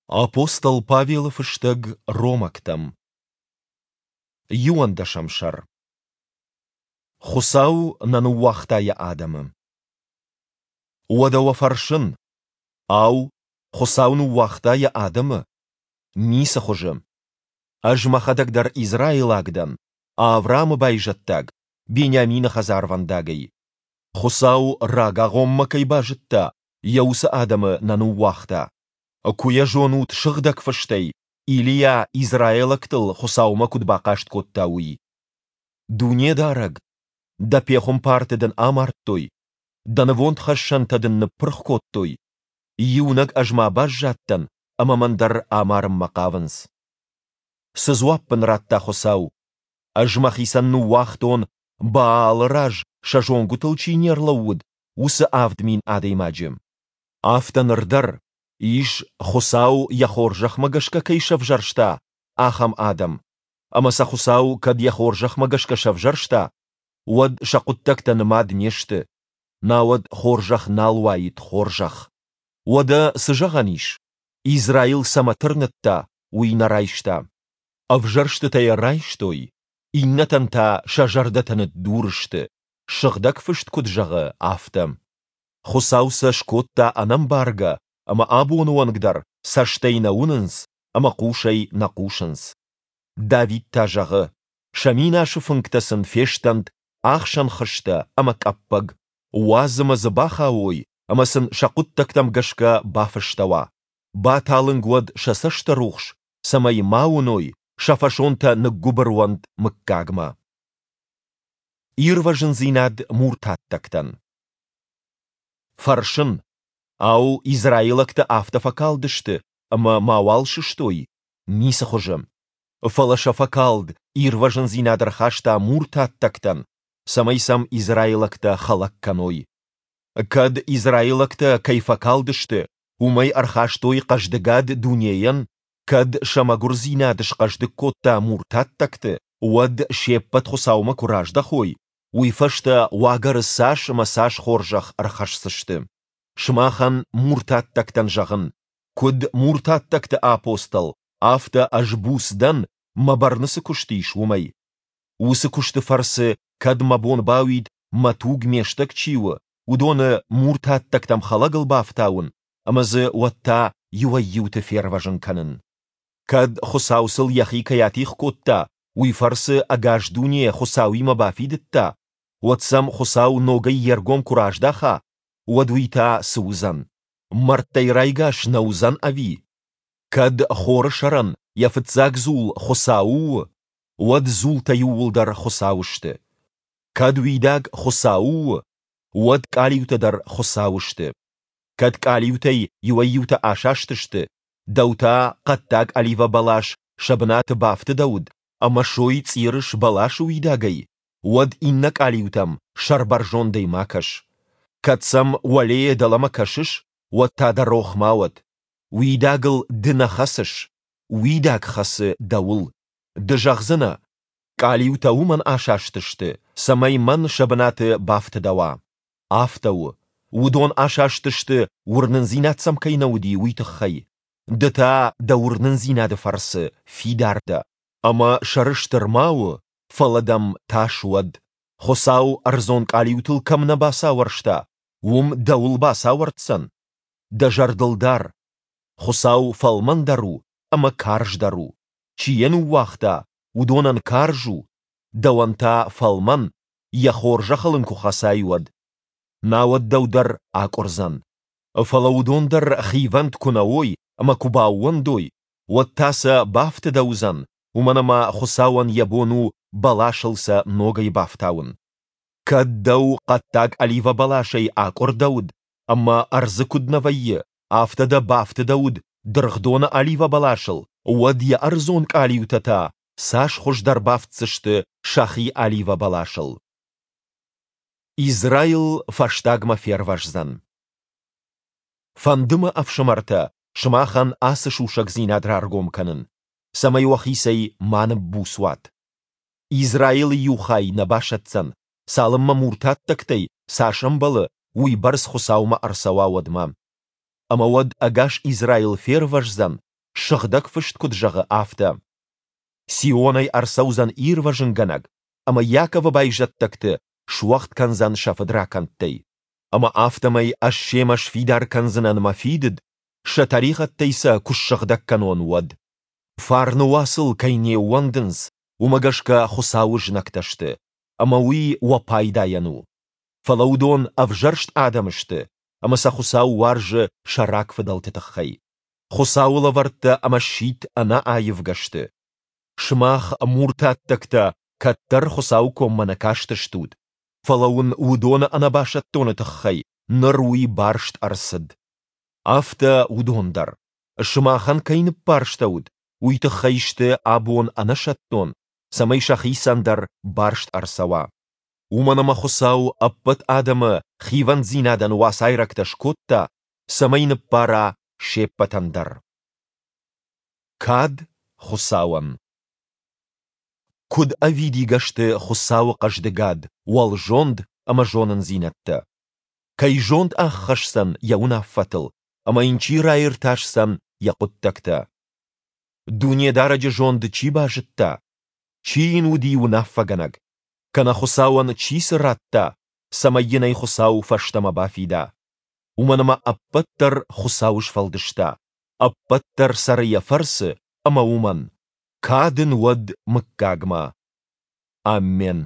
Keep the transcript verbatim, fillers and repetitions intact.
Апостол Павелы фыстӕг Ромӕгтӕм. Иуӕндӕсӕм сӕр. Хуыцау нӕ ныууагъта йӕ адӕмы. Уӕдӕ уӕ фӕрсын, ау, Хуыцау ныууагъта йӕ адӕмы? Ницы хуызы! Ӕз мӕхӕдӕг дӕр израилаг дӕн, Авраамы байзӕддаг, Бениамины хӕдзарвӕндагӕй. Хуыцау рагагъоммӕ кӕй базыдта, йӕ уыцы адӕмы нӕ ныууагъта. Куы йӕ зонут Сыгъдӕг Фыстӕй, Илийа израилӕгтыл Хуыцаумӕ куыд бахъаст кодта, уый: «Дунедарӕг, Дӕ пехуымпарты Дын амардтой, Дӕ нывондхӕссӕнтӕ Дын ныппырх кодтой. Иунӕг ӕз ма баззадтӕн, ӕмӕ мӕн дӕр амарынмӕ хъавынц». Цы дзуапп ын радта Хуыцау? «Ӕз мӕхицӕн ныууагътон, Баалы раз сӕ зонгуытыл чи не рлӕууыд, уыцы авд мин адӕймаджы». Афтӕ ныр дӕр, ис, Хуыцау йӕ хорзӕхмӕ гӕсгӕ кӕй сӕвзӕрста, ахӕм адӕм. Ӕмӕ сӕ Хуыцау кӕд йӕ хорзӕхмӕ гӕсгӕ сӕвзӕрста, уӕд сӕ хъуыддӕгтӕ нымад не сты, науӕд хорзӕх нал уаид хорзӕх. Уӕдӕ цы зӕгъӕн ис? Израил цӕмӕ тырныдта, уый нӕ райста. Ӕвзӕрстытӕ йӕ райстой, иннӕтӕн та сӕ зӕрдӕтӕ ныддур сты, Сыгъдӕг Фыст куыд зӕгъы, афтӕ. Хуыцау сӕ скодта ӕнӕмбаргӕ, ӕмӕ абоны онг дӕр цӕстӕй нӕ уынынц ӕмӕ хъусӕй нӕ хъусынц. Давид та зӕгъы: Сӕ минасы фынгтӕ сын фестӕнт ахсӕн хызтӕ ӕмӕ къӕппӕг, уадз ӕмӕ дзы бахауой ӕмӕ сын сӕ хъуыддӕгтӕм гӕсгӕ бафыстӕуа. Баталынг уӕд сӕ цӕстырухс, цӕмӕй ма уыной, сӕ фӕсонтӕ ныггуыбыр уӕнт мыггагмӕ. Ирвӕзындзинад муртаттӕгтӕн. Фӕрсын, ау, израилӕгтӕ афтӕ фӕкалдысты, ӕмӕ мауал сыстой? Ницы хуызы! Фӕлӕ сӕ фӕкалд ирвӕзындзинад ӕрхаста муртаттӕгтӕн, цӕмӕй сӕм израилӕгтӕ хӕлӕг кӕной. Кӕд израилӕгтӕ кӕй фӕкалдысты, уымӕй ӕрхастой хъӕздыгад дунейӕн, кӕд сӕ мӕгуырдзинад схъӕздыг кодта муртаттӕгты, уӕд се ппӕт Хуыцаумӕ куы раздӕхой, уый фӕстӕ уагӕры цас ӕмӕ цас хорзӕх ӕрхӕсдзысты. Сымахӕн, муртаттӕгтӕн, зӕгъын, куыд муртаттӕгты апостол, афтӕ ӕз буц дӕн, мӕ бӕрны цы куыст ис, уымӕй. Уыцы куысты фӕрцы кӕд мӕ бон бауид, мӕ туг ме стӕг чи у, уыдоны муртаттӕгтӕм хӕлӕгыл бафтауын ӕмӕ дзы уӕд та иуӕй-иуты фервӕзын кӕнын. Кӕд Хуыцау сыл йӕхи кӕй атигъ кодта, уый фӕрцы ӕгас дуне Хуыцауимӕ бафидыдта, уӕд сӕм Хуыцау ногӕй йе ргом куы раздаха, уӕд уый та цы уыдзӕн? Мӕрдтӕй райгас нӕ уыдзӕн ӕви? Кӕд хоры сӕрӕн йӕ фыццаг дзул Хуыцауы у, уӕд дзултӕ иууылдӕр Хуыцауы сты. Кӕд уидаг Хуыцауы у, уӕд къалиутӕ дӕр Хуыцауы сты. Кӕд къалиутӕй иуӕй-иутӕ асастысты, дӕу та хъӕддаг оливӕ бӕлас сӕ бынаты бафтыдӕуыд ӕмӕ сой цъирыс бӕласы уидагӕй, уӕд иннӕ къалиутӕм сӕрбӕрзондӕй ма кӕс. Кӕд сӕм уӕлейӕ дӕлӕмӕ кӕсыс, уӕд та дӕ рох ма уӕд: уидагыл ды нӕ хӕцыс, уидаг хӕцы дӕуыл. Ды зӕгъдзынӕ: къалиутӕ уымӕн асастысты, цӕмӕй мӕн сӕ бынаты бафтыдӕуа. Афтӕ у. Уыдон асастысты, уырнындзинад сӕм кӕй нӕ уыди, уый тыххӕй. Ды та дӕ уырнындзинады фӕрцы фидар дӕ. Ӕмӕ сӕрыстыр ма у, фӕлӕ дӕм тас уӕд. Хуыцау ӕрдзон къалиутыл кӕм нӕ бацауӕрста, уым дӕуыл бацауӕрддзӕн? Дӕ зӕрдыл дар, Хуыцау фӕлмӕндӕр у ӕмӕ карздӕр у. Чи йӕ ныууагъта, уыдонӕн карз у, дӕуӕн та фӕлмӕн, йӕ хорзӕхыл ын куы хӕцай, уӕд. Науӕд дӕу дӕр акъуырдзӕн. Фӕлӕ уыдон дӕр хивӕнд куы нӕ уой ӕмӕ куы баууӕндой, уӕд та сӕ бафтыдӕуыдзӕн, уымӕн ӕмӕ Хуыцауӕн йӕ бон у бӕласыл сӕ ногӕй бафтауын. Кӕд дӕу хъӕддаг оливӕ бӕласӕй акъуырдӕуыд ӕмӕ ӕрдзы куыд нӕ вӕййы, афтӕ дӕ бафтыдӕуыд дыргъдоны оливӕ бӕласыл, уӕд йӕ ӕрдзон къалиутӕ та цас хуыздӕр бафтдзысты сӕхи оливӕ бӕласыл. Израил фӕстагмӕ фервӕздзӕн. Фӕнды мӕ, ӕфсымӕртӕ, сымахӕн ацы сусӕгдзинад раргом кӕнын, цӕмӕй уӕхицӕй ма ныббуц уат. Израилы иу хай нӕ басӕтдзӕн, цалынмӕ муртаттӕгтӕй, цас ӕмбӕлы, уый бӕрц Хуыцаумӕ ӕрцӕуа, уӕдмӕ. Ӕмӕ уӕд ӕгас Израил фервӕздзӕн, Сыгъдӕг Фыст куыд зӕгъы, афтӕ: Сионӕй ӕрцӕудзӕн Ирвӕзынгӕнӕг, ӕмӕ Иаковы байзӕддӕгты суӕгъд кӕндзӕн сӕ фыдракӕндтӕй. Ӕмӕ афтӕмӕй Ӕз семӕ сфидар кӕндзынӕн Мӕ фидыд, сӕ тӕригъӕдтӕй сӕ куы ссыгъдӕг кӕнон, уӕд. Фарны уацыл кӕй не ууӕндынц, уымӕ гӕсгӕ Хуыцауы знӕгтӕ сты, ӕмӕ уый уӕ пайдайӕн у. Фӕлӕ уыдон ӕвзӕрст адӕм сты, ӕмӕ сӕ Хуыцау уарзы сӕ рагфыдӕлты тыххӕй. Хуыцауы лӕвӕрттӕ ӕмӕ сидт ӕнӕаивгӕ сты. Сымах, муртаттӕгтӕ, кӕддӕр Хуыцауы коммӕ нӕ кастыстут, фӕлӕ уын уыдоны ӕнӕбасӕттоны тыххӕй ныр уый барст ӕрцыд. Афтӕ уыдон дӕр, сымахӕн кӕй ныббарстӕуыд, уый тыххӕй сты абон ӕнӕсӕттон, цӕмӕй сӕхицӕн дӕр барст ӕрцӕуа. Уымӕн ӕмӕ Хуыцау ӕппӕт адӕмы хивӕнддзинадӕн уацайрӕгтӕ скодта, цӕмӕй ныббара се ппӕтӕн дӕр. Кад Хуыцауӕн. Куыд ӕвидигӕ сты Хуыцауы хъӕздыгад, уӕлзонд ӕмӕ зонындзинӕдтӕ! Кӕй зонд аххӕсдзӕн йӕ уынаффӕтыл, ӕмӕ йын чи раиртасдзӕн йӕ хъуыддӕгтӕ? Дунедарӕджы зонд чи базыдта? Чи йын уыди уынаффӕгӕнӕг? Кӕнӕ Хуыцауӕн чи цы радта, цӕмӕй йын ӕй Хуыцау фӕстӕмӕ бафида? Уымӕн ӕмӕ ӕппӕт дӕр Хуыцау сфӕлдыста, ӕппӕт дӕр цӕры Йӕ фӕрцы ӕмӕ уымӕн. Кад ын уӕд мыггагмӕ! Аммен.